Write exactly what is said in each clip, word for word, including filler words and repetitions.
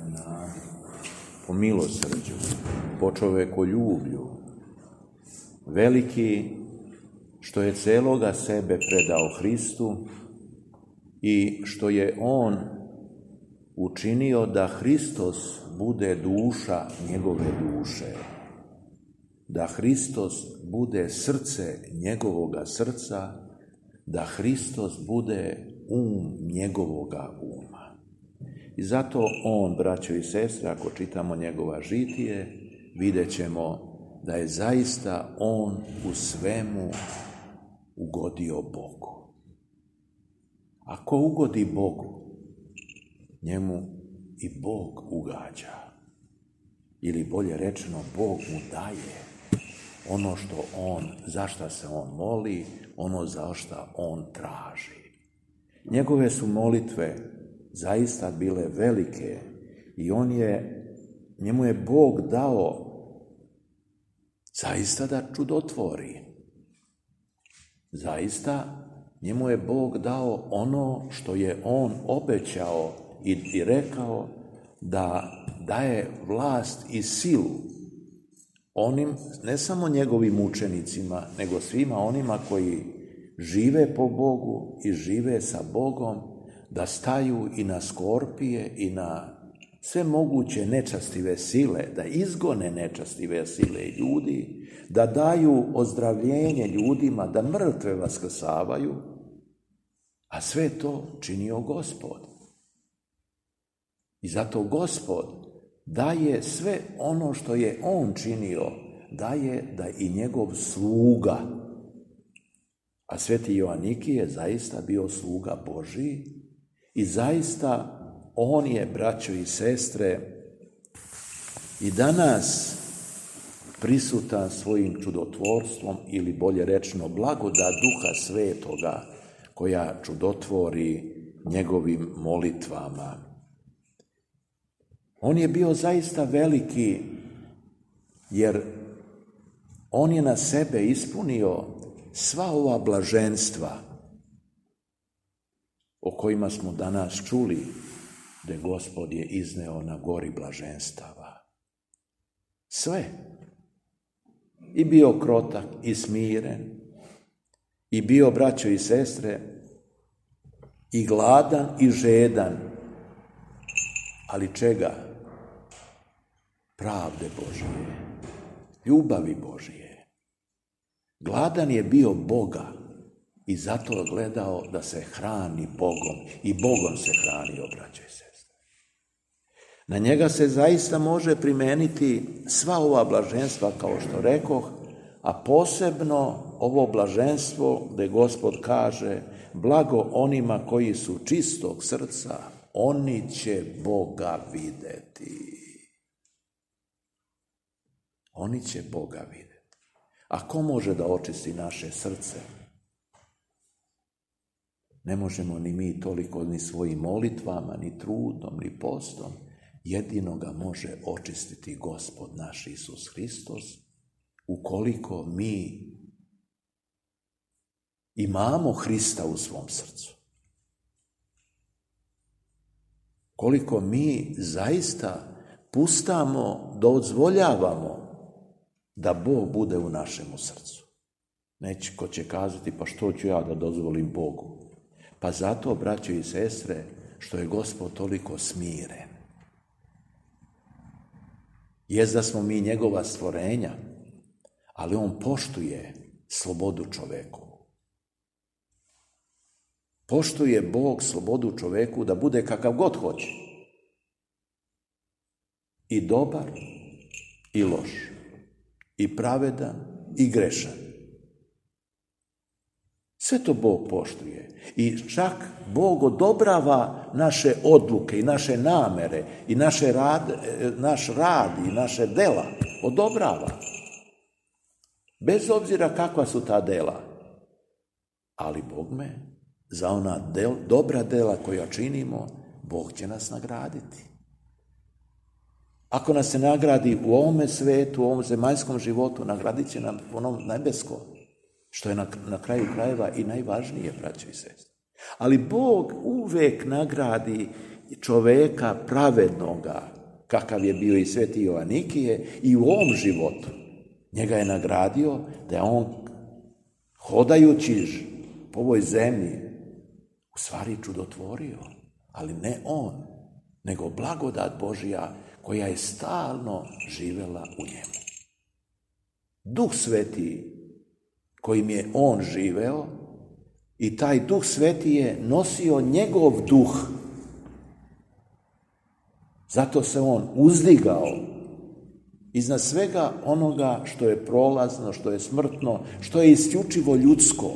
na po milosrđu, po čovekoljublju, veliki što je celoga sebe predao Hristu i što je on učinio da Hristos bude duša njegove duše, da Hristos bude srce njegovoga srca, da Hristos bude um njegovoga uma. I zato on, braćo i sestre, ako čitamo njegova žitije, vidjet ćemo da je zaista on u svemu ugodio Bogu. Ako ugodi Bogu, njemu i Bog ugađa. Ili bolje rečeno, Bog mu daje ono što on, za šta se on moli, ono za šta on traži. Njegove su molitve zaista bile velike i on je, njemu je Bog dao zaista da čudotvori. Zaista njemu je Bog dao ono što je on obećao i, i rekao da daje vlast i silu onim, ne samo njegovim učenicima, nego svima onima koji žive po Bogu i žive sa Bogom, da staju i na skorpije i na sve moguće nečastive sile, da izgone nečastive sile ljudi, da daju ozdravljenje ljudima, da mrtve vaskrsavaju, a sve to činio Gospod. I zato Gospod daje sve ono što je on činio, daje da i njegov sluga, a sveti Joaniki je zaista bio sluga Božiji i zaista on je, braćo i sestre, i danas prisutan svojim čudotvorstvom, ili bolje rečeno blagodat Duha Svetoga koja čudotvori njegovim molitvama. On je bio zaista veliki, jer on je na sebe ispunio sva ova blaženstva o kojima smo danas čuli, da Gospod je izneo na gori blaženstava. Sve. I bio krotak i smiren, i bio, braćo i sestre, i gladan i žedan. Ali čega? Pravde Božije, ljubavi Božije. Gladan je bio Boga i zato je gledao da se hrani Bogom i Bogom se hranio, braćo i sestre. Na njega se zaista može primeniti sva ova blaženstva, kao što rekoh, a posebno ovo blaženstvo gde Gospod kaže: blago onima koji su čistog srca, oni će Boga videti. Oni će Boga videti. A ko može da očisti naše srce? Ne možemo ni mi toliko ni svojim molitvama, ni trudom, ni postom. Jedino ga može očistiti Gospod naš Isus Hristos, ukoliko mi imamo Hrista u svom srcu. Koliko mi zaista pustamo, dozvoljavamo da Bog bude u našemu srcu. Neće ko će kazati, pa što ću ja da dozvolim Bogu? Pa zato, braćo i sestre, što je Gospod toliko smiren. Jest da smo mi njegova stvorenja, ali on poštuje slobodu čoveku. Poštuje Bog slobodu čoveku da bude kakav god hoće. I dobar, i loš. I pravedan, i grešan. Sve to Bog poštuje. I čak Bog odobrava naše odluke i naše namere i naše rad, naš rad i naše dela. Odobrava. Bez obzira kakva su ta dela. Ali Bogme, za ona del, dobra dela koja činimo, Bog će nas nagraditi. Ako nas se nagradi u ovome svetu, u ovom zemaljskom životu, nagradit će nam onom nebeskom, što je na, na kraju krajeva i najvažnije, braćo i sestre. Ali Bog uvek nagradi čoveka pravednoga, kakav je bio i sveti Joanikije, i u ovom životu njega je nagradio da je on hodajući po ovoj zemlji u stvari čudotvorio, ali ne on, nego blagodat Božja koja je stalno živela u njemu. Duh Sveti kojim je on živeo i taj Duh Sveti je nosio njegov duh. Zato se on uzdigao iznad svega onoga što je prolazno, što je smrtno, što je isključivo ljudsko.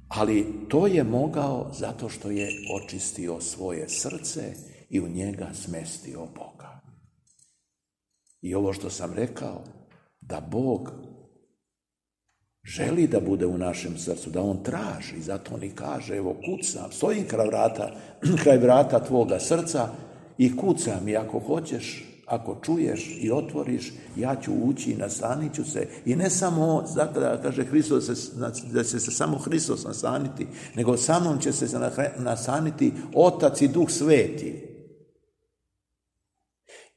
Ali to je mogao zato što je očistio svoje srce i u njega smestio Boga. I ovo što sam rekao, da Bog želi da bude u našem srcu, da on traži, zato on i kaže, evo kucam, stojim kraj vrata, kraj vrata tvoga srca i kucam, i ako hoćeš, ako čuješ i otvoriš, ja ću ući i nastanit ću se. I ne samo, zato da kaže Hristos, da će se samo Hristos nastaniti, nego sa mnom će se nastaniti Otac i Duh Sveti.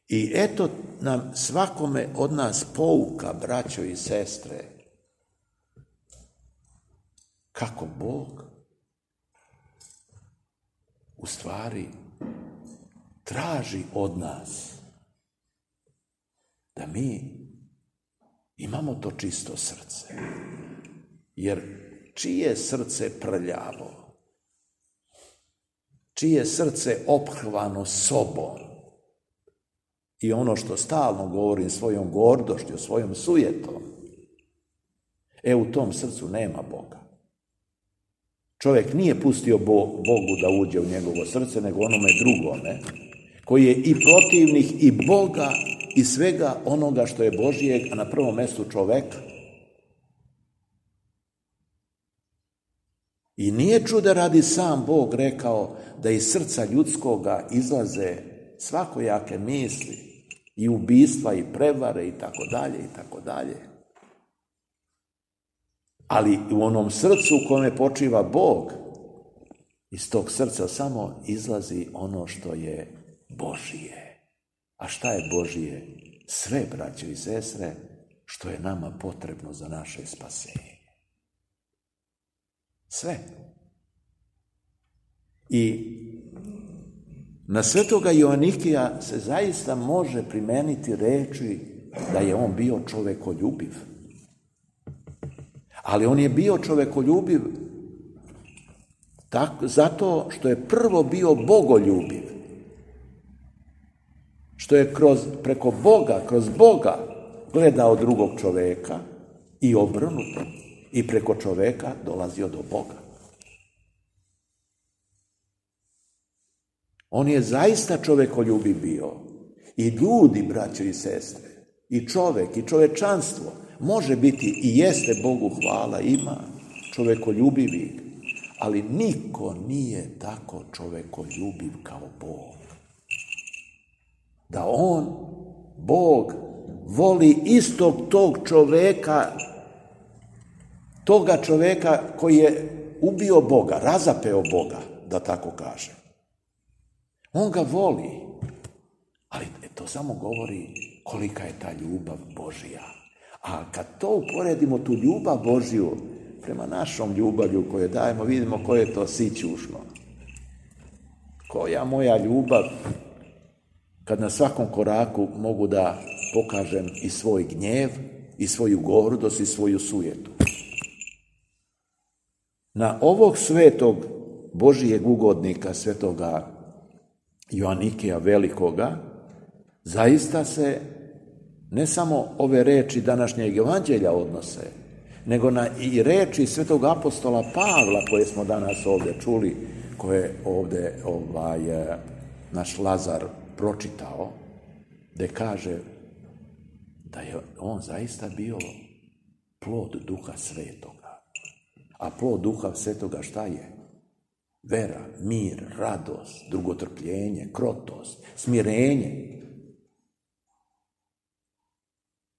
I eto nam svakome od nas pouka, braćo i sestre, kako Bog u stvari traži od nas da mi imamo to čisto srce. Jer čije srce prljavo, čije srce ophrvano sobom, i ono što stalno govorim svojom gordošću, svojom sujetom, e u tom srcu nema Boga. Čovjek nije pustio Bogu da uđe u njegovo srce, nego onome drugome, koji je i protivnik i Boga i svega onoga što je Božijeg, a na prvom mjestu čoveka. I nije čuda radi sam Bog rekao da iz srca ljudskoga izlaze svakojake misli i ubistva i prevare i tako dalje i tako dalje. Ali u onom srcu u kome počiva Bog, iz tog srca samo izlazi ono što je Božije. A šta je Božije? Sve, braćo i sestre, što je nama potrebno za naše spasenje. Sve. I na svetoga Joanikija se zaista može primeniti reči da je on bio čovekoljubiv. Ali on je bio čovekoljubiv tako, zato što je prvo bio bogoljubiv. Što je kroz, preko Boga, kroz Boga gledao drugog čoveka i obrnuto. I preko čoveka dolazio do Boga. On je zaista čovekoljubiv bio. I ljudi, braćo i sestre, i čovek, i čovečanstvo može biti i jeste, Bogu hvala, ima čovekoljubivih, ali niko nije tako čovekoljubiv kao Bog. Da on, Bog, voli istog tog čoveka, toga čoveka koji je ubio Boga, razapeo Boga, da tako kažem. On ga voli, ali to samo govori kolika je ta ljubav Božja. A kad to uporedimo, tu ljubav Božju, prema našom ljubavlju koju dajemo, vidimo koje je to sićušno. Koja moja ljubav, kad na svakom koraku mogu da pokažem i svoj gnjev, i svoju gordost, i svoju sujetu. Na ovog svetog Božijeg ugodnika, svetoga Joanikija Velikoga, zaista se ne samo ove reči današnjeg evanđelja odnose, nego na i reči svetog apostola Pavla koje smo danas ovdje čuli, koje ovdje ovaj, naš Lazar pročitao, gdje kaže da je on zaista bio plod Duha Svetoga. A plod Duha Svetoga šta je? Vera, mir, radost, drugotrpljenje, krotost, smirenje.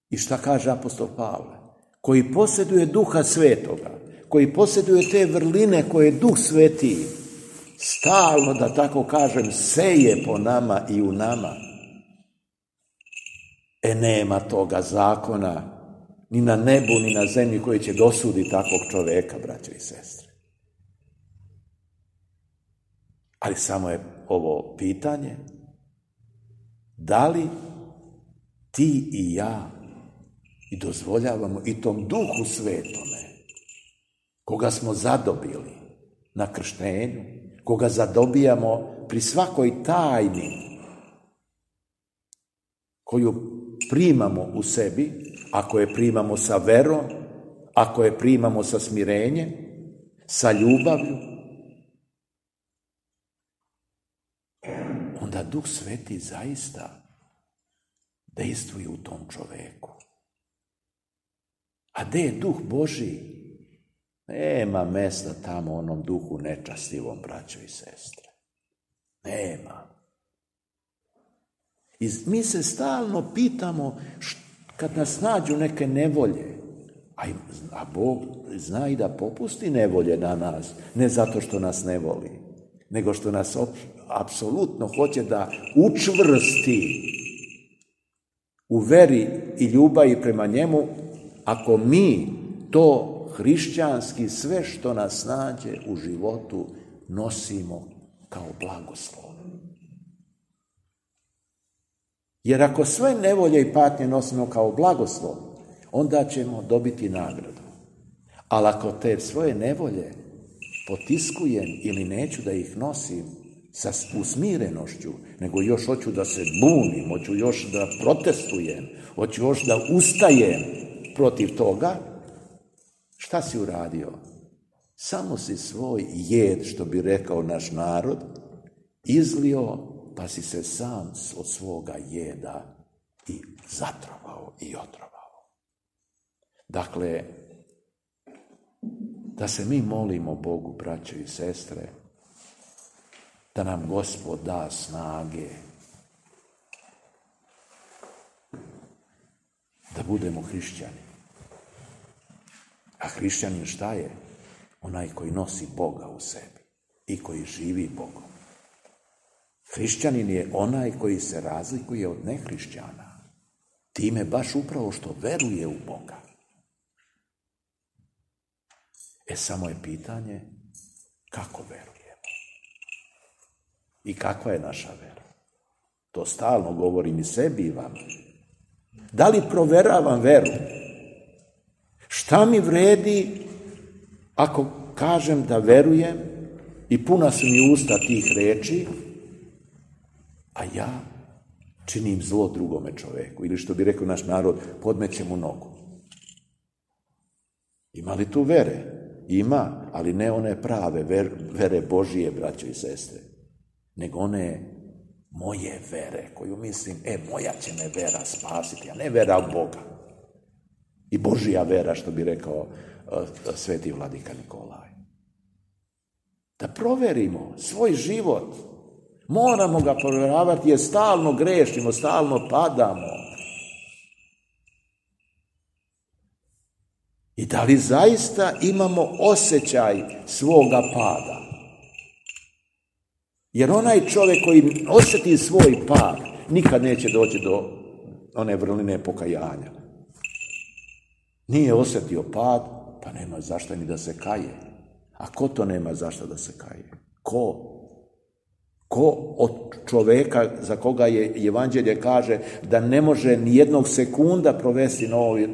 I šta kaže apostol Pavle? Koji posjeduje Duha Svetoga, koji posjeduje te vrline koje Duh Sveti stalno, da tako kažem, seje po nama i u nama. E nema toga zakona ni na nebu, ni na zemlji koji će dosuditi takvog čoveka, braće i sestre. Ali samo je ovo pitanje, da li ti i ja i dozvoljavamo i tom Duhu Svetome, koga smo zadobili na krštenju, koga zadobijamo pri svakoj tajni koju primamo u sebi, ako je primamo sa verom, ako je primamo sa smirenjem, sa ljubavlju, onda Duh Sveti zaista dejstvuje u tom čoveku. A gde je Duh Božji? Nema mesta tamo onom duhu nečastivom, braćo i sestre. Nema. I mi se stalno pitamo, kad nas nađu neke nevolje, a, a Bog zna i da popusti nevolje na nas, ne zato što nas ne voli, nego što nas op, apsolutno hoće da učvrsti u veri i ljubavi prema njemu, ako mi to hrišćanski sve što nas nađe u životu nosimo kao blagoslov. Jer ako sve nevolje i patnje nosimo kao blagoslov, onda ćemo dobiti nagradu. Ali ako te svoje nevolje potiskujem ili neću da ih nosim sa usmirenošću, nego još hoću da se bunim, hoću još da protestujem, hoću još da ustajem protiv toga, šta si uradio? Samo si svoj jed, što bi rekao naš narod, izlio, pa si se sam od svoga jeda i zatrovao i otrovao. Dakle, da se mi molimo Bogu, braćo i sestre, da nam Gospod da snage da budemo hrišćani. A hrišćanin šta je? Onaj koji nosi Boga u sebi i koji živi Bogom. Hrišćanin je onaj koji se razlikuje od nehrišćana. Time baš upravo što veruje u Boga. E samo je pitanje kako verujemo. I kakva je naša vera? To stalno govorim i sebi i vama. Da li proveravam veru? Šta mi vredi ako kažem da verujem i puna su mi usta tih reči, a ja činim zlo drugome čoveku, ili što bi rekao naš narod, podmećem mu nogu. Ima li tu vere? Ima, ali ne one prave ver, vere Božije, braćo i sestre, nego one moje vere, koju mislim, e, moja će me vera spasiti, a ne vera u Boga. I Božija vera, što bi rekao uh, sveti vladika Nikolaj. Da proverimo svoj život. Moramo ga provjeravati jer stalno grešimo, stalno padamo. I da li zaista imamo osjećaj svoga pada? Jer onaj čovjek koji osjeti svoj pad, nikad neće doći do one vrline pokajanja. Nije osjetio pad, pa nema zašto ni da se kaje. A ko to nema zašto da se kaje? Ko? Ko od čovjeka za koga je evanđelje kaže da ne može ni jednog sekunda provesti na, ovoj,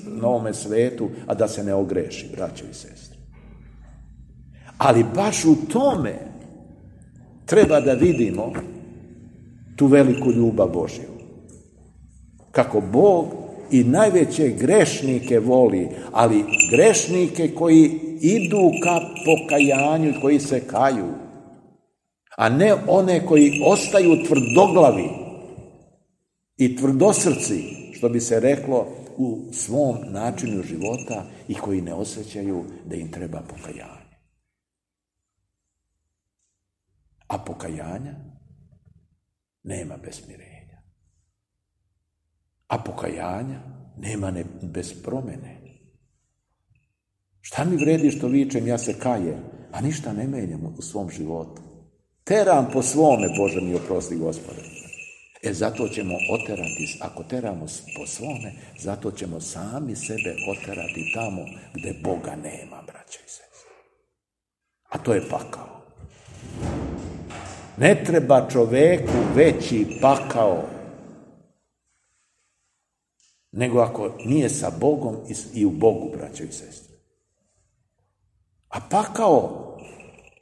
na ovome svetu, a da se ne ogreši, braćo i sestre. Ali baš u tome treba da vidimo tu veliku ljubav Božju. Kako Bog i najveće grešnike voli, ali grešnike koji idu ka pokajanju i koji se kaju, a ne one koji ostaju tvrdoglavi i tvrdosrci, što bi se reklo, u svom načinu života i koji ne osjećaju da im treba pokajanje. A pokajanja nema bez mirenja. A pokajanja nema ne bez promene. Šta mi vredi što vičem, ja se kajem, a ništa ne menjam u svom životu. Teram po svome, Bože mi oprosti, Gospode. E, zato ćemo oterati, ako teramo po svome, zato ćemo sami sebe oterati tamo gde Boga nema, braćo i sestre. A to je pakao. Ne treba čoveku veći pakao nego ako nije sa Bogom i u Bogu, braćo i sestre. A pakao,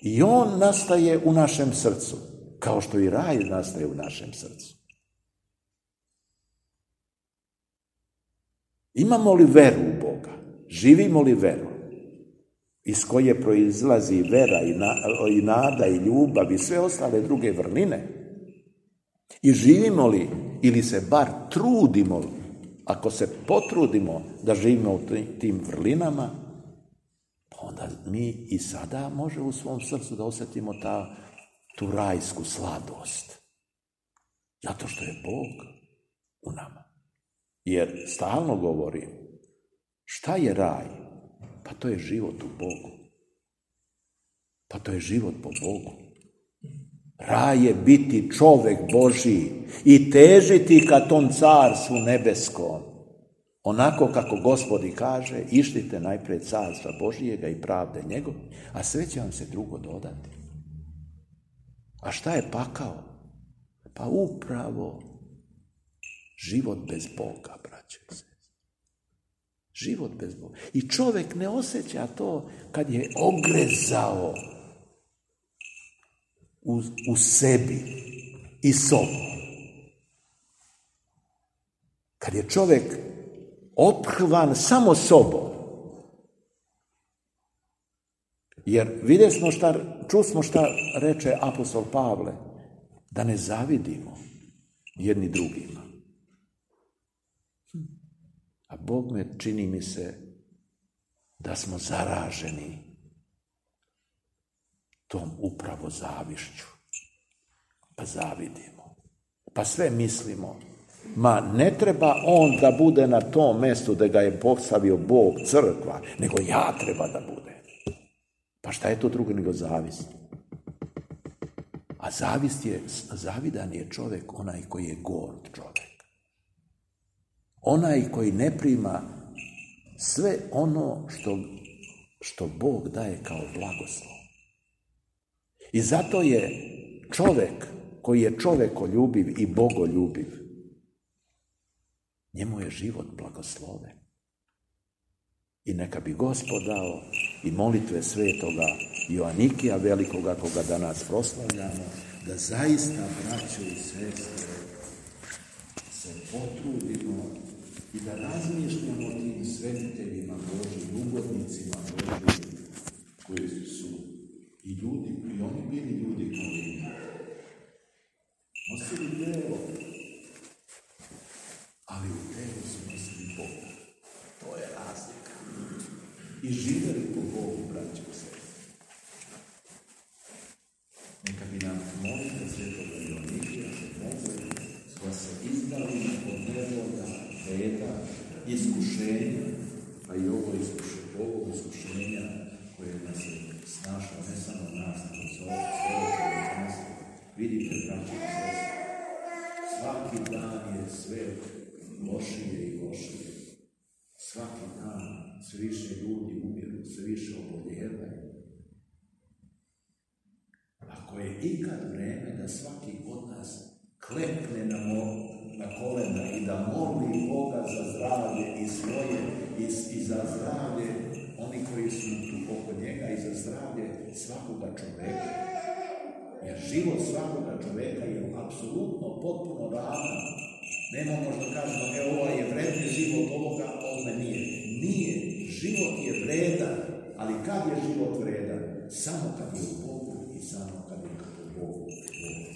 i on nastaje u našem srcu, kao što i raj nastaje u našem srcu. Imamo li veru u Boga? Živimo li veru? Iz koje proizlazi vera i, na, i nada i ljubav i sve ostale druge vrline? I živimo li, ili se bar trudimo, ako se potrudimo da živimo u tim vrlinama, onda mi i sada može u svom srcu da osjetimo ta, tu rajsku sladost. Zato što je Bog u nama. Jer stalno govorim, šta je raj? Pa to je život u Bogu. Pa to je život po Bogu. Raj je biti čovek Božiji i težiti ka tom carstvu nebeskom. Onako kako Gospodi kaže, ištite najpred carstva Božijega i pravde njegov, a sve će vam se drugo dodati. A šta je pakao? Pa upravo život bez Boga, braćo i sestre. Život bez Boga. I čovjek ne osjeća to kad je ogrezao u, u sebi i sobom. Kad je čovjek ophrvan samo sobom. Jer vidjeli smo šta, čusmo šta reče apostol Pavle, da ne zavidimo jedni drugima. A Bog me, čini mi se, da smo zaraženi tom upravo zavišću. Pa zavidimo. Pa sve mislimo. Ma ne treba on da bude na tom mjestu da ga je postavio Bog, crkva, nego ja treba da bude. Pa šta je to drugo nego zavist? A zavist je, zavidan je čovjek onaj koji je gord čovjek. Onaj koji ne prima sve ono što, što Bog daje kao blagoslov. I zato je čovjek koji je čovjekoljubiv i bogoljubiv, njemu je život blagosloven. I neka bi Gospod dao i molitve svetoga Joanikija velikoga, koga danas proslavljamo, da zaista, braćo i sestre, se potrudimo i da razmišljamo o tim svetiteljima Božjim, ugodnicima Božjim, koji su i ljudi, i oni bili ljudi kao i mi. Nosili telo, ali u telu su nosili Boga. To je razlika. I živjeli po Bogu, braćo i sestre. Neka bi nam molite svetoga Joanikija da se izdali od nevoga reda, iskušenja, a i ovo iskušenja, ovo iskušenja koje nas je snašlo, ne samo nas, nego sve ovo nas. Vidite, braćo i sestre, svaki dan je sve lošije i lošije. Svaki dan sve više ljudi umiru, sve više oboljevaju. Ako je ikad vreme da svaki od nas klekne na, mo, na kolena i da moli Boga za zdravlje i svoje i, i za zdravlje oni koji su tu oko njega i za zdravlje svakoga čoveka. Jer život svakoga čoveka je apsolutno potpuno ravan. Nema možda kažemo, evo ovaj je vredni život ovoga, ovome nije. Nije. Život je vredan, ali kad je život vredan? Samo kad je u Bogu i samo kad je u Bogu. Bogu.